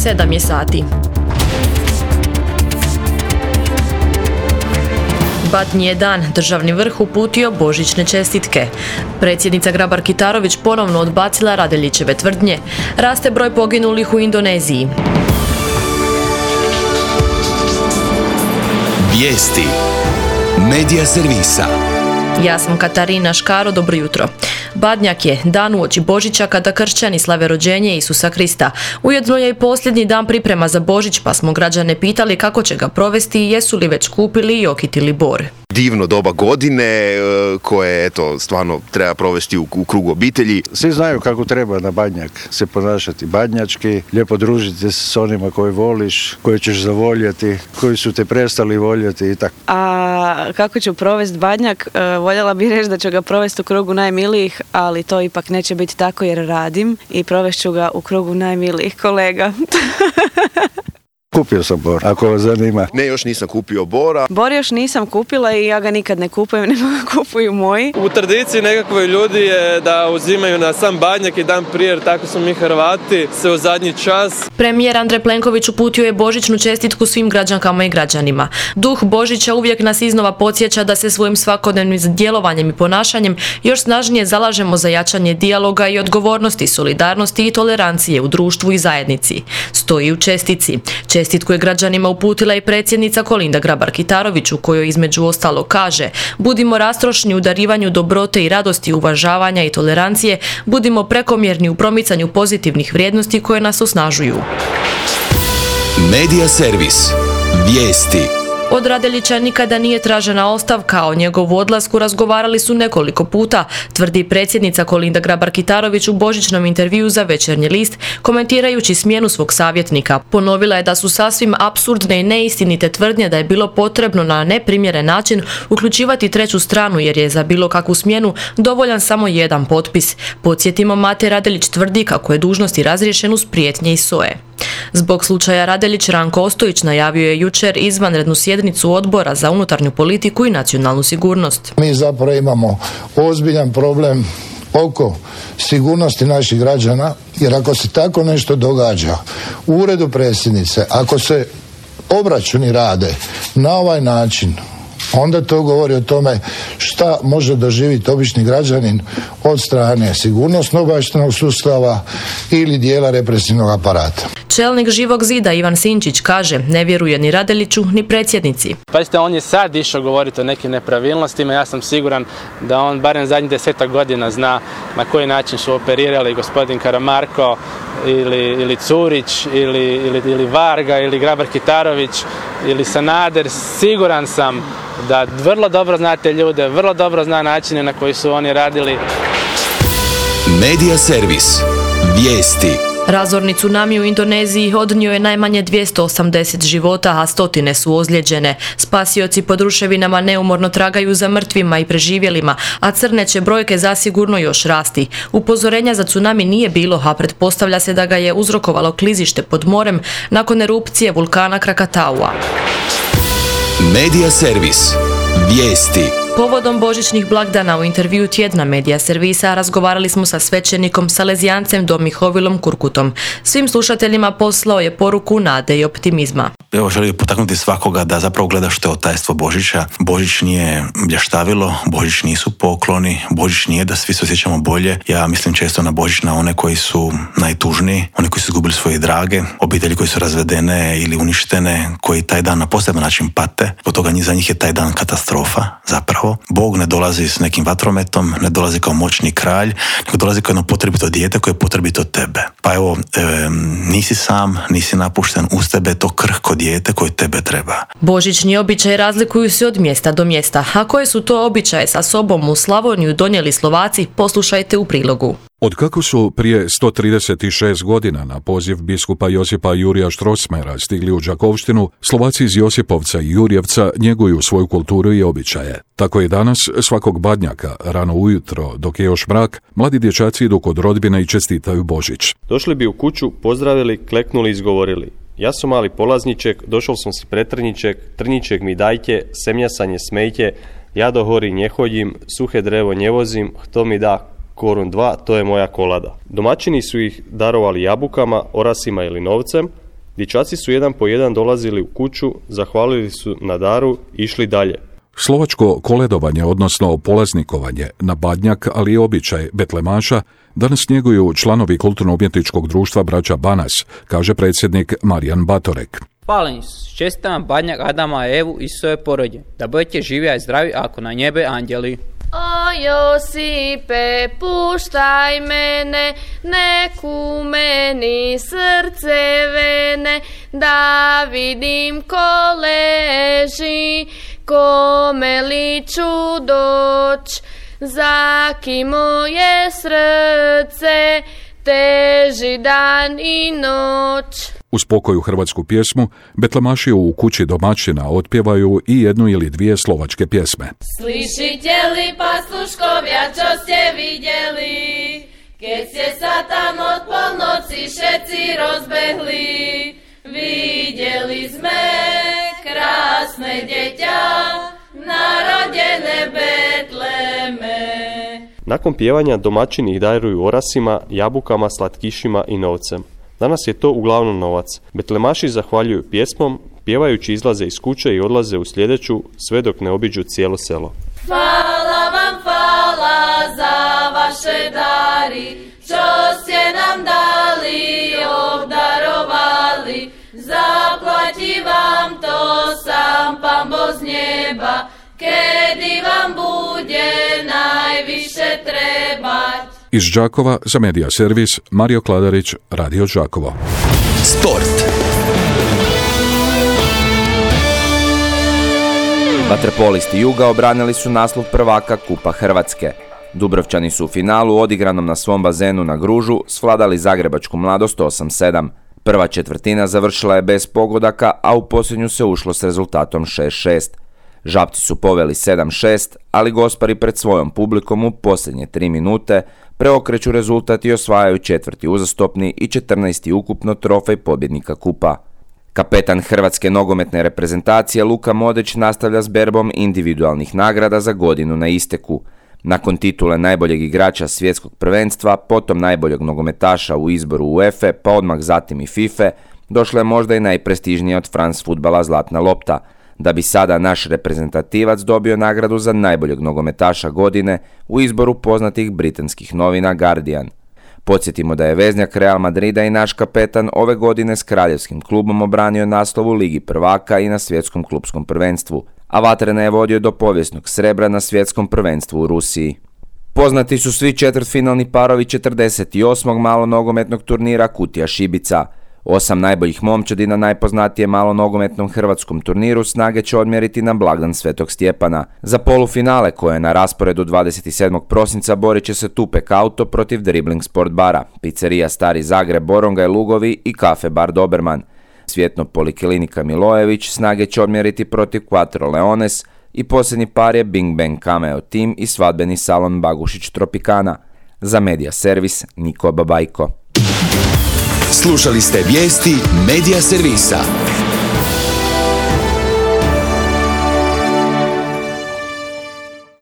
7 je sati. Badnji je dan, državni vrh uputio božićne čestitke. Predsjednica Grabar-Kitarović ponovno odbacila Radeljićeve tvrdnje. Raste broj poginulih u Indoneziji. Vijesti Medija servisa. Ja sam Katarina Škaro, dobro jutro. Badnjak je dan uoči Božića kada kršćani slave rođenje Isusa Krista. Ujedno je i posljednji dan priprema za Božić, pa smo građane pitali kako će ga provesti i jesu li već kupili i okitili bor. Divno doba godine koje eto stvarno treba provesti u krugu obitelji. Svi znaju kako treba na Badnjak se ponašati badnjački, lijepo družiti se s onima koje voliš, koje ćeš zavoljeti, koji su te prestali voljeti i tako. A kako ću provesti Badnjak? Voljela bih reći da ću ga provesti u krugu najmilijih, ali to ipak neće biti tako jer radim i provešću ga u krugu najmilijih kolega. Kupio sam bor, ako vas zanima. Ne, još nisam kupio bora. Bor još nisam kupila i ja ga nikad ne kupujem, nego ga kupuju moji. U tradiciji nekakvoj ljudi je da uzimaju na sam Badnjak i dan prije, jer tako smo mi Hrvati, se u zadnji čas. Premijer Andrej Plenković uputio je božićnu čestitku svim građankama i građanima. Duh Božića uvijek nas iznova podsjeća da se svojim svakodnevnim djelovanjem i ponašanjem još snažnije zalažemo za jačanje dijaloga i odgovornosti, solidarnosti i tolerancije u društvu i zajednici. Stoji u čestitci. Čestitku je građanima uputila i predsjednica Kolinda Grabar-Kitarović, u kojoj između ostalo kaže: budimo rastrošni u darivanju dobrote i radosti, uvažavanja i tolerancije, budimo prekomjerni u promicanju pozitivnih vrijednosti koje nas osnažuju. Medija servis. Vijesti. Od Radeljića nikada nije tražena ostavka, o njegovu odlasku razgovarali su nekoliko puta, tvrdi predsjednica Kolinda Grabar-Kitarović u božićnom intervjuu za Večernji list, komentirajući smjenu svog savjetnika. Ponovila je da su sasvim apsurdne i neistinite tvrdnje da je bilo potrebno na neprimjeren način uključivati treću stranu jer je za bilo kakvu smjenu dovoljan samo jedan potpis. Podsjetimo, Mate Radeljić tvrdi kako je dužnosti razriješen uz prijetnje i SOA-e. Zbog slučaja Radeljić, Ranko Ostojić najavio je jučer izvanrednu sjednicu Odbora za unutarnju politiku i nacionalnu sigurnost. Mi zapravo imamo ozbiljan problem oko sigurnosti naših građana, jer ako se tako nešto događa u uredu predsjednice, ako se obračuni rade na ovaj način, onda to govori o tome šta može doživjeti obični građanin od strane sigurnosno-obavještajnog sustava ili dijela represivnog aparata. Čelnik Živog zida Ivan Sinčić kaže: ne vjeruje ni Radeljiću ni predsjednici. Pazite, on je sad išao govoriti o nekim nepravilnostima, ja sam siguran da on barem zadnjih 10 godina zna na koji način su operirali gospodin Karamarko ili Curić ili Varga ili Grabar-Kitarović ili Sanader. Siguran sam da vrlo dobro zna te ljude, vrlo dobro zna načine na koji su oni radili. Medija servis. Vijesti. Razorni tsunami u Indoneziji odnio je najmanje 280 života, a stotine su ozlijeđene. Spasioci pod ruševinama neumorno tragaju za mrtvima i preživjelima, a crne će brojke zasigurno još rasti. Upozorenja za tsunami nije bilo, a pretpostavlja se da ga je uzrokovalo klizište pod morem nakon erupcije vulkana Krakataua. Medija servis. Vijesti. Povodom božićnih blagdana u intervju tjedna Medija servisa razgovarali smo sa svećenikom Salezijancem Domihovilom Kurkutom. Svim slušateljima poslao je poruku nade i optimizma. Evo, želim potaknuti svakoga da zapravo gleda što je tajstvo Božića. Božić nije blještavilo, Božić nisu pokloni, Božić nije da svi se osjećamo bolje. Ja mislim često na Božić na one koji su najtužniji, oni koji su izgubili svoje drage, obitelji koji su razvedene ili uništene, koji taj dan na poseban način pate. Od toga za njih je taj dan katastrofa zapravo. Bog ne dolazi s nekim vatrometom, ne dolazi kao moćni kralj, nego dolazi kao jedno potrebito dijete koje je potrebito tebe. Pa evo, nisi sam, nisi napušten, uz tebe je to krhko dijete koje tebe treba. Božićni običaji razlikuju se od mjesta do mjesta. A koje su to običaje sa sobom u Slavoniju donijeli Slovaci, poslušajte u prilogu. Otkako su prije 136 godina na poziv biskupa Josipa Jurija Štrosmera stigli u Đakovštinu, Slovaci iz Josipovca i Jurjevca njeguju svoju kulturu i običaje. Tako je danas svakog Badnjaka, rano ujutro, dok je još mrak, mladi dječaci idu kod rodbine i čestitaju Božić. Došli bi u kuću, pozdravili, kleknuli i izgovorili: ja sam mali polazniček, došao sam si pretrniček, trniček mi dajte, semjasanje smejte, ja do hori nje hođim, suhe drevo nje vozim, hto mi da korun 2, to je moja kolada. Domaćini su ih darovali jabukama, orasima ili novcem, Dječaci su jedan po jedan dolazili u kuću, zahvalili su na daru i išli dalje. Slovačko koledovanje, odnosno polaznikovanje na Badnjak, ali i običaj betlemaša, danas njeguju članovi kulturno-umjetničkog društva Braća Banas, kaže predsjednik Marijan Batorek. Hvala Isus, čestitam Badnjak Adama, Evu i svoje porodje, da budete živi i zdravi ako na njebe anđeli. O Josipe, puštaj mene, neku meni srce vene, da vidim ko leži, kome li ću doć, zaki moje srce, teži dan i noć. Uz pokoju hrvatsku pjesmu, betlemaši u kući domaćina otpjevaju i jednu ili dvije slovačke pjesme. Slišite li pasluškovja, čo ste vidjeli, keď ste sa tam od polnoci všetci rozbehli, vidjeli sme krásne djeťa, narodjene Betleme. Nakon pjevanja domaćini ih daruju orasima, jabukama, slatkišima i novcem. Danas je to uglavnom novac. Betlemaši zahvaljuju pjesmom, pjevajući izlaze iz kuće i odlaze u sljedeću, sve dok ne obiđu cijelo selo. Hvala vam, hvala za vaše dari, čo ste nam dali, obdarovali, zaplati vam to sam Pan Bog z neba, kedy vam bude najviše trebať. Iz Đakova za Medija Servis, Mario Kladarić, Radio Đakovo. Sport. Vaterpolisti Juga obranili su naslov prvaka Kupa Hrvatske. Dubrovčani su u finalu odigranom na svom bazenu na Gružu svladali zagrebačku Mladost 8-7. Prva četvrtina završila je bez pogodaka, a u posljednju se ušlo s rezultatom 6-6. Žabci su poveli 7-6, ali Gospari pred svojom publikom u posljednje 3 minute preokreću rezultat i osvajaju 4. uzastopni i 14. ukupno trofej pobjednika kupa. Kapetan hrvatske nogometne reprezentacije Luka Modrić nastavlja s berbom individualnih nagrada za godinu na isteku. Nakon titule najboljeg igrača svjetskog prvenstva, potom najboljeg nogometaša u izboru UEFA, pa odmah zatim i FIFA, došla je možda i najprestižnija od France fudbala Zlatna lopta, da bi sada naš reprezentativac dobio nagradu za najboljeg nogometaša godine u izboru poznatih britanskih novina Guardian. Podsjetimo da je veznjak Real Madrida i naš kapetan ove godine s kraljevskim klubom obranio naslov u Ligi prvaka i na svjetskom klupskom prvenstvu, a Vatrena je vodio do povijesnog srebra na svjetskom prvenstvu u Rusiji. Poznati su svi četvrtfinalni parovi 48. malonogometnog turnira Kutija Šibica. 8 najboljih momčadi na najpoznatijem malonogometnom hrvatskom turniru snage će odmjeriti na blagdan Svetog Stjepana. Za polufinale koje je na rasporedu 27. prosinca borit će se Tupek Auto protiv Dribbling Sport bara, Pizzerija Stari Zagreb, Boronga i Lugovi i Kafe bar Doberman. Svjetno Poliklinika Milojević snage će odmjeriti protiv Quattro Leones i posljednji par je Bing Bang Cameo Team i svadbeni salon Bagušić Tropicana. Za Medija Servis, Niko Babajko. Slušali ste vijesti Medija Servisa.